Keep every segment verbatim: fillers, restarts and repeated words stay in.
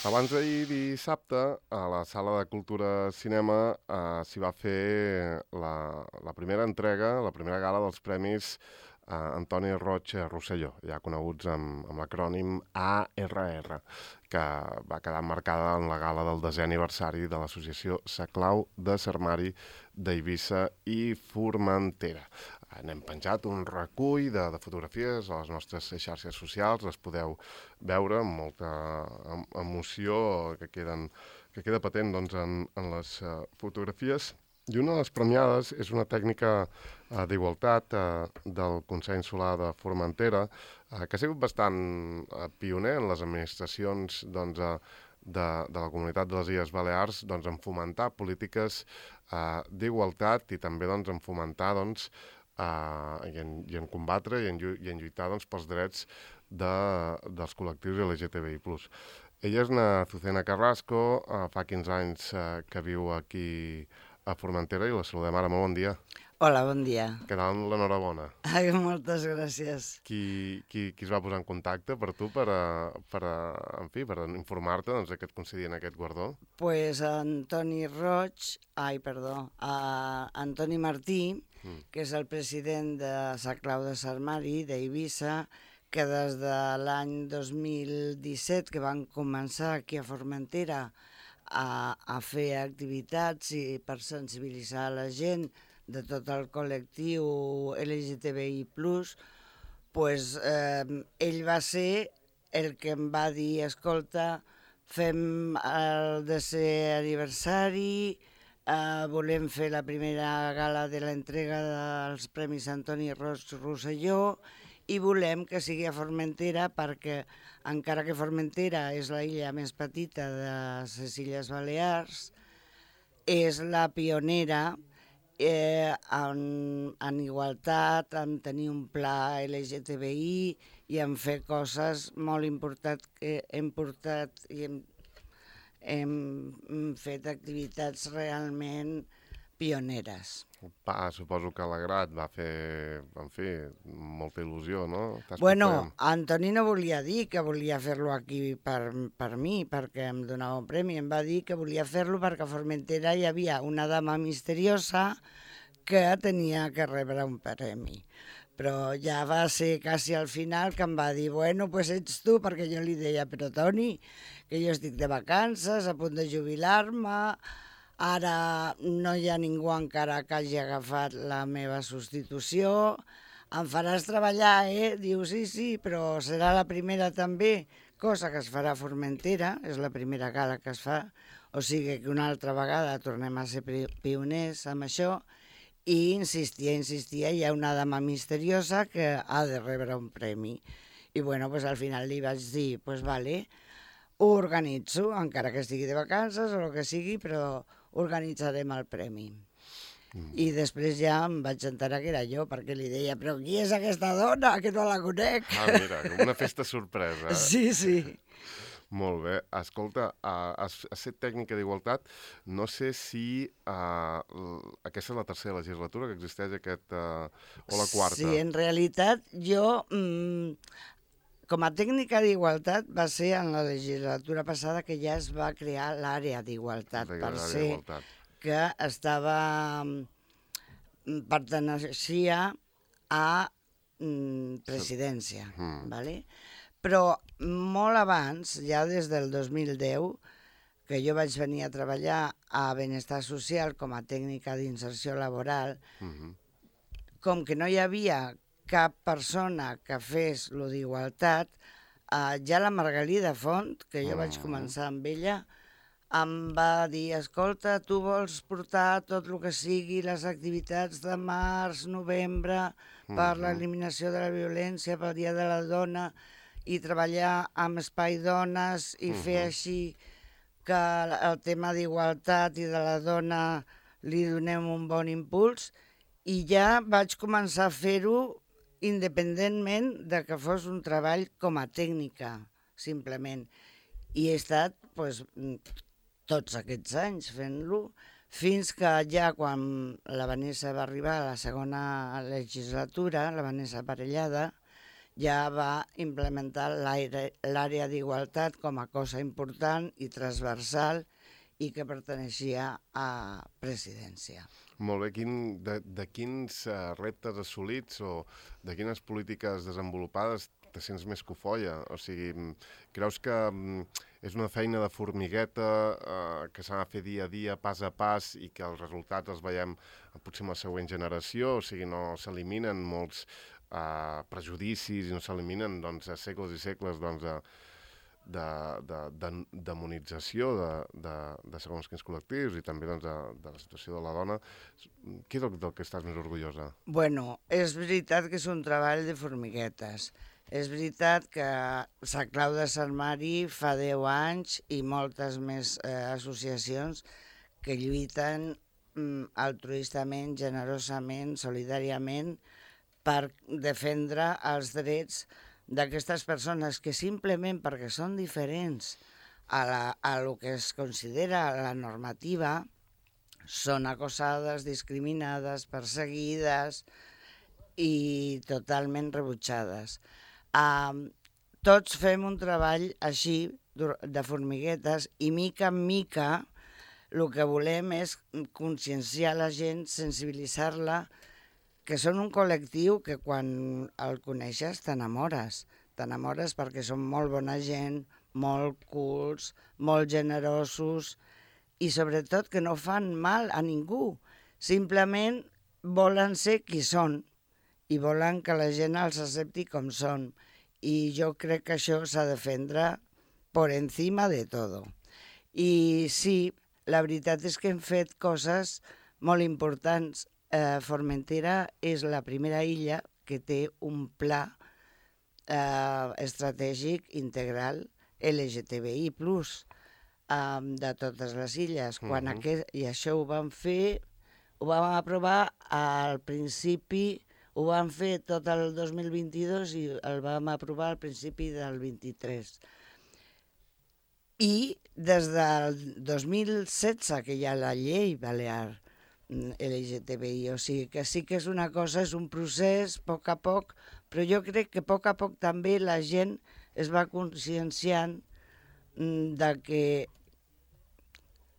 Abans d'ahir dissabte, a la Sala de Cultura Cinema eh, s'hi va fer la, la primera entrega, la primera gala dels Premis eh, Antoni Roig Rosselló, ja coneguts amb, amb l'acrònim A R R, que va quedar marcada en la gala del desè aniversari de l'associació Saclau de Sarmari d'Eivissa i Formentera. N'hem penjat un recull de, de fotografies a les nostres xarxes socials, les podeu veure amb molta em emoció que, queden, que queda patent doncs, en, en les uh, fotografies. I una de les premiades és una tècnica uh, d'igualtat uh, del Consell Insular de Formentera, uh, que ha sigut bastant uh, pioner en les administracions doncs, uh, de, de la Comunitat de les Illes Balears doncs, en fomentar polítiques uh, d'igualtat i també doncs, en fomentar doncs, Uh, i, en, i en combatre i en, i en lluitar doncs, pels drets de, dels col·lectius L G T B I plus. Ella és una Azucena Carrasco, uh, fa quinze anys uh, que viu aquí a Formentera i la saludem ara. Molt bon dia. Hola, bon dia. Què tal? L'enhorabona. Ai, moltes gràcies. Qui, qui, qui es va posar en contacte per tu per, a, per, a, en fi, per informar-te doncs, que et concedien aquest guardó? Pues Antoni Roig, ai, perdó, a Antoni Martí, mm. que és el president de Saclau de Sarmari, d'Eivissa, que des de l'any dos mil disset, que van començar aquí a Formentera a, a fer activitats i per sensibilitzar la gent de tot el col·lectiu L G T B I plus, pues, eh, ell va ser el que em va dir, escolta, fem el desè aniversari, eh, volem fer la primera gala de l'entrega dels Premis Antoni Roig Rosselló i volem que sigui a Formentera perquè, encara que Formentera és la illa més petita de les Illes Balears, és la pionera Eh, en, en igualtat, en tenir un pla L G T B I i en fer coses molt importants que hem portat i hem, hem fet activitats realment pioneres. Pa, suposo que Alegrat va fer, en fi, molta il·lusió, no? Bueno, Antoni no volia dir que volia fer-lo aquí per, per mi, perquè em donava un premi. Em va dir que volia fer-lo perquè a Formentera hi havia una dama misteriosa que tenia que rebre un premi. Però ja va ser quasi al final que em va dir, bueno, pues ets tu, perquè jo li deia, però Toni, que jo estic de vacances, a punt de jubilar-me, ara no hi ha ningú encara que hagi agafat la meva substitució, em faràs treballar, eh? Diu, sí, sí, però serà la primera també, cosa que es farà a Formentera, és la primera gala que es fa, o sigui que una altra vegada tornem a ser pioners amb això, i insistia, insistia, hi ha una dama misteriosa que ha de rebre un premi. I bueno, pues al final li vaig dir, pues vale, ho organitzo, encara que estigui de vacances o el que sigui, però organitzarem el premi. Mm. I després ja em vaig enterar que era jo, perquè li deia, però qui és aquesta dona, que no la conec? Ah, mira, una festa sorpresa. Eh? Sí, sí. Molt bé. Escolta, uh, has, has fet tècnica d'igualtat. No sé si uh, aquesta és la tercera legislatura que existeix aquest, uh, o la quarta. Sí, en realitat jo, mmm, com a tècnica d'igualtat, va ser en la legislatura passada que ja es va crear l'àrea d'igualtat, per ser que estava, perteneixia a mm, presidència, mm. ¿vale? Però molt abans, ja des del dos mil deu, que jo vaig venir a treballar a Benestar Social com a tècnica d'inserció laboral, mm-hmm. com que no hi havia cap persona que fes lo d'igualtat, eh, ja la Margalida Font, que jo mm-hmm. vaig començar amb ella, em va dir, escolta, tu vols portar tot el que sigui les activitats de març, novembre, per mm-hmm. l'eliminació de la violència, pel Dia de la Dona, i treballar amb Espai Dones i uh-huh. fer així que el tema d'igualtat i de la dona li donem un bon impuls. I ja vaig començar a fer-ho independentment de que fos un treball com a tècnica, simplement. I he estat pues, tots aquests anys fent-lo, fins que ja quan la Vanessa va arribar a la segona legislatura, la Vanessa Parellada, ja va implementar l'àrea d'igualtat com a cosa important i transversal i que perteneixia a presidència. Molt bé. Quin, de, de quins uh, reptes assolits o de quines polítiques desenvolupades te sents més cofoia? O sigui, creus que um, és una feina de formigueta uh, que s'ha de fer dia a dia, pas a pas, i que els resultats els veiem potser en la següent generació? O sigui, no s'eliminen molts uh, prejudicis i no s'eliminen doncs, segles i segles doncs, de, de, de, de demonització de, de, de segons quins col·lectius i també doncs, de, de la situació de la dona. Què és el del que estàs més orgullosa? Bueno, és veritat que és un treball de formiguetes. És veritat que Sant Clau de Sant Mari fa deu anys i moltes més eh, associacions que lluiten mm, altruistament, generosament, solidàriament per defendre els drets d'aquestes persones que simplement perquè són diferents a, la, a lo que es considera la normativa són acosades, discriminades, perseguides i totalment rebutjades. Uh, tots fem un treball així de formiguetes i mica en mica el que volem és conscienciar la gent, sensibilitzar-la, que són un col·lectiu que quan el coneixes t'enamores. T'enamores perquè són molt bona gent, molt cults, molt generosos i sobretot que no fan mal a ningú. Simplement volen ser qui són i volen que la gent els accepti com són. I jo crec que això s'ha de defendre per encima de tot. I sí, la veritat és que hem fet coses molt importants. Eh, Formentera és la primera illa que té un pla eh, estratègic integral L G T B I plus, eh, de totes les illes. Quan uh -huh. aquest, I això ho vam fer, ho vam aprovar al principi, ho vam fer tot el dos mil vint-i-dos i el vam aprovar al principi del vint-i-tres. I des del dos mil setze, que hi ha la llei balear L G T B I, o sigui que sí que és una cosa, és un procés, a poc a poc, però jo crec que a poc a poc també la gent es va conscienciant de que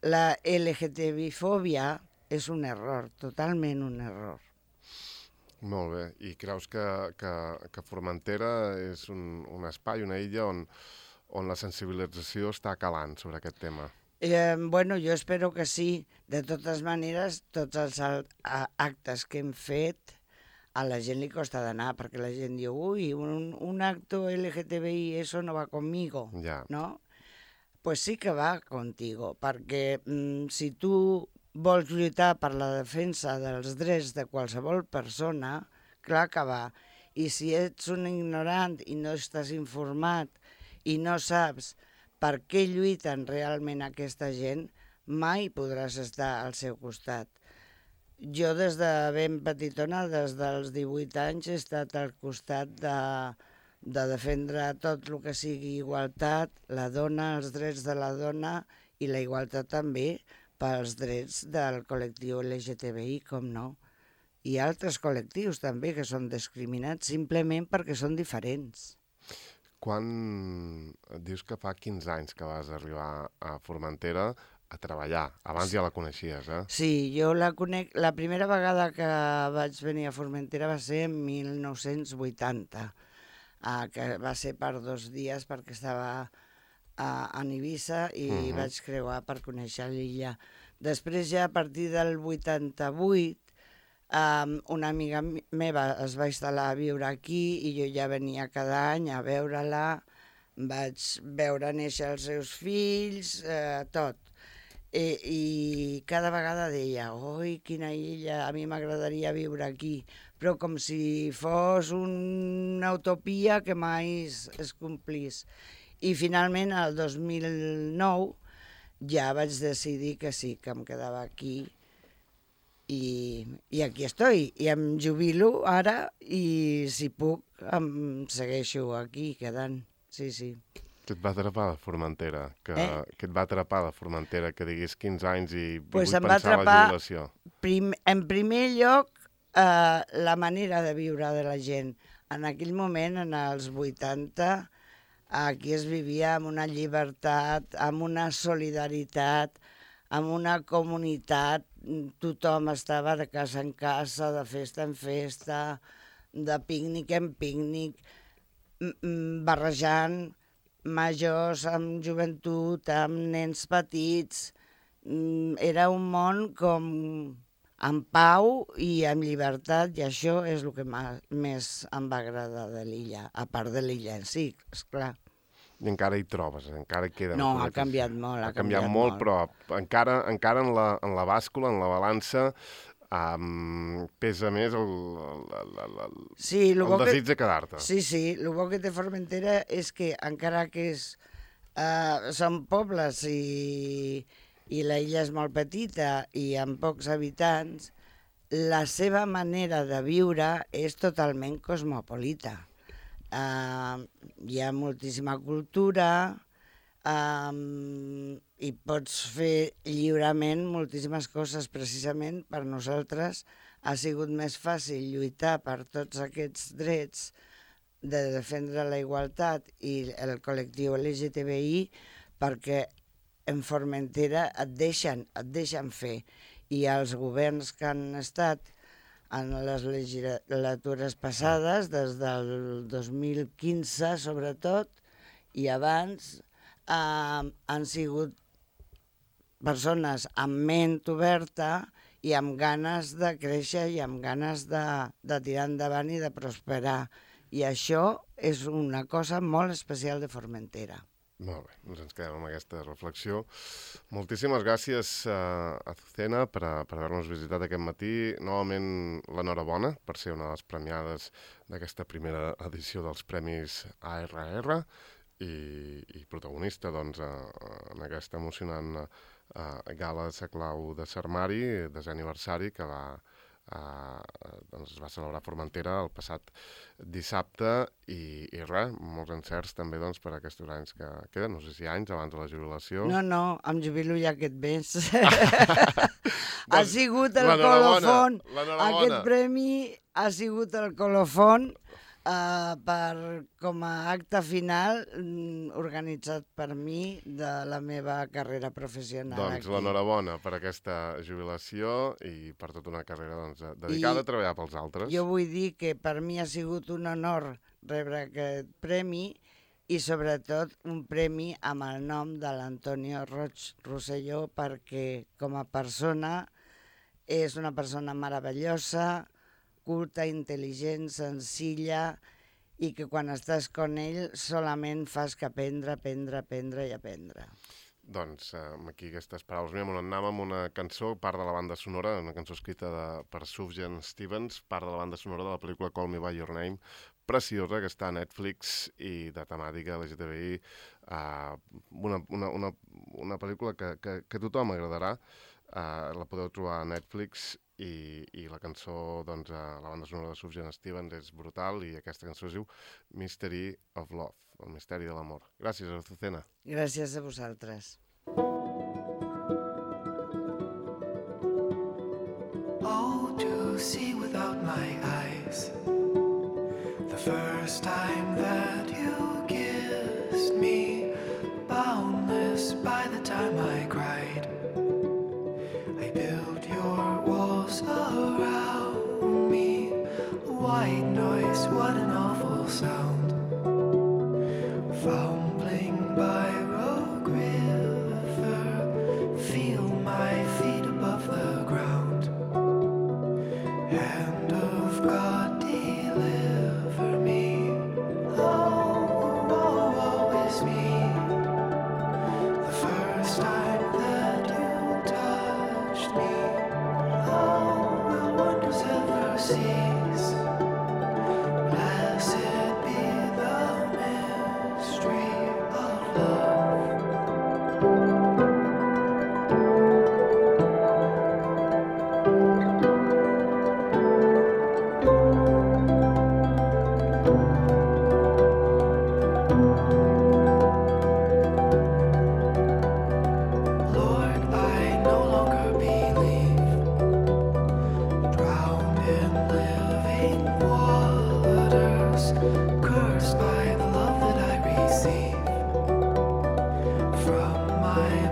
la L G T B I-fòbia és un error, totalment un error. Molt bé. I creus que, que, que Formentera és un, un espai, una illa on, on la sensibilització està calant sobre aquest tema? Eh, bueno, jo espero que sí. De totes maneres, tots els actes que hem fet a la gent li costa d'anar, perquè la gent diu, ui, un, un acto L G T B I, eso no va conmigo, ja. ¿no? Pues sí que va contigo, perquè mm, si tu vols lluitar per la defensa dels drets de qualsevol persona, clar que va. I si ets un ignorant i no estàs informat i no saps per què lluiten realment aquesta gent, mai podràs estar al seu costat. Jo des de ben petitona, des dels divuit anys, he estat al costat de, de defendre tot el que sigui igualtat, la dona, els drets de la dona i la igualtat també pels drets del col·lectiu L G T B I, com no. I altres col·lectius també que són discriminats simplement perquè són diferents. Quan dius que fa quinze anys que vas arribar a Formentera a treballar, abans ja la coneixies, eh? Sí, jo la conec, la primera vegada que vaig venir a Formentera va ser en mil nou-cents vuitanta, eh, que va ser per dos dies perquè estava a, a Eivissa i uh-huh. vaig creuar per conèixer l'illa. Després ja a partir del vuitanta-vuit Um, una amiga meva es va instal·lar a viure aquí i jo ja venia cada any a veure-la, vaig veure néixer els seus fills, eh, tot. I, I cada vegada deia, oi, quina illa, a mi m'agradaria viure aquí, però com si fos una utopia que mai es, es complís. I finalment, el dos mil nou, ja vaig decidir que sí, que em quedava aquí. I, i aquí estoy, i em jubilo ara i si puc em segueixo aquí quedant, sí, sí. Què et va atrapar de Formentera? Que, eh? Què et va atrapar de Formentera? Que diguis quinze anys i pues vull pensar en la jubilació. Prim, en primer lloc, eh, la manera de viure de la gent. en aquell moment, en els vuitanta, aquí es vivia amb una llibertat, amb una solidaritat, amb una comunitat, tothom estava de casa en casa, de festa en festa, de pícnic en pícnic, barrejant majors amb joventut, amb nens petits. Era un món com amb pau i amb llibertat, i això és el que més em va agradar de l'illa, a part de l'illa en si, esclar. I encara hi trobes, encara queden... No, ha canviat molt, ha, ha canviat, canviat molt, molt, però encara, encara en, la, en la bàscula, en la balança, um, pesa més el, el, el, el, sí, el desig que, de quedar-te. Sí, sí, el bo que té Formentera és que encara que és, uh, són pobles i, i la illa és molt petita i amb pocs habitants, la seva manera de viure és totalment cosmopolita. Uh, hi ha moltíssima cultura um, i pots fer lliurement moltíssimes coses. Precisament per nosaltres ha sigut més fàcil lluitar per tots aquests drets de defendre la igualtat i el col·lectiu L G T B I, perquè en Formentera et deixen, et deixen fer, i els governs que han estat en les legislatures passades, des del dos mil quinze sobretot, i abans, eh, han sigut persones amb ment oberta i amb ganes de créixer i amb ganes de, de tirar endavant i de prosperar. I això és una cosa molt especial de Formentera. Molt bé, doncs ens quedem amb aquesta reflexió. Moltíssimes gràcies, uh, Azucena, per, per haver-nos visitat aquest matí. Novament, l'enhorabona per ser una de les premiades d'aquesta primera edició dels Premis A R R i, i protagonista doncs, uh, en aquesta emocionant uh, gala de Saclau de Sarmari, desè aniversari, que va... Uh, doncs es va celebrar a Formentera el passat dissabte i, i res, molts encerts també doncs, per aquests anys que queden, no sé si anys abans de la jubilació. No, no, em jubilo ja aquest mes. Ha sigut el colofon, aquest premi ha sigut el colofon uh, per, com a acte final um, organitzat per mi de la meva carrera professional. Doncs l'enhorabona per aquesta jubilació i per tota una carrera doncs, dedicada I a treballar pels altres. Jo vull dir que per mi ha sigut un honor rebre aquest premi i sobretot un premi amb el nom de l'Antonio Roig Rosselló, perquè com a persona és una persona meravellosa, culta, intel·ligent, senzilla, i que quan estàs con ell solament fas que aprendre, aprendre, aprendre i aprendre. Doncs eh, aquí aquestes paraules meves, on anàvem amb una cançó, part de la banda sonora, una cançó escrita de, per Sufjan Stevens, part de la banda sonora de la pel·lícula Call Me By Your Name, preciosa, que està a Netflix i de temàtica L G T B I, eh, una, una, una, una pel·lícula que, que, que a tothom agradarà, eh, la podeu trobar a Netflix. I, i la cançó, doncs, la banda sonora de Sufjan Stevens és brutal i aquesta cançó es diu Mystery of Love, el misteri de l'amor. Gràcies, Azucena. Gràcies a vosaltres. Oh, to see without my eyes the first time that you kissed me, boundless by the time I cried. I built your walls around me, white noise, what an awful sound. Fumbling by Rogue River, feel my feet above the ground. Hand of God, deliver me. Oh, oh, oh, it's me. The first time that you touched me. Oh, will wonders ever cease? Blessed be the mystery of love. Lord, I no longer believe, drowned in live.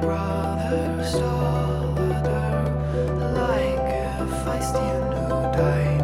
brother Stalder, like a feisty new day.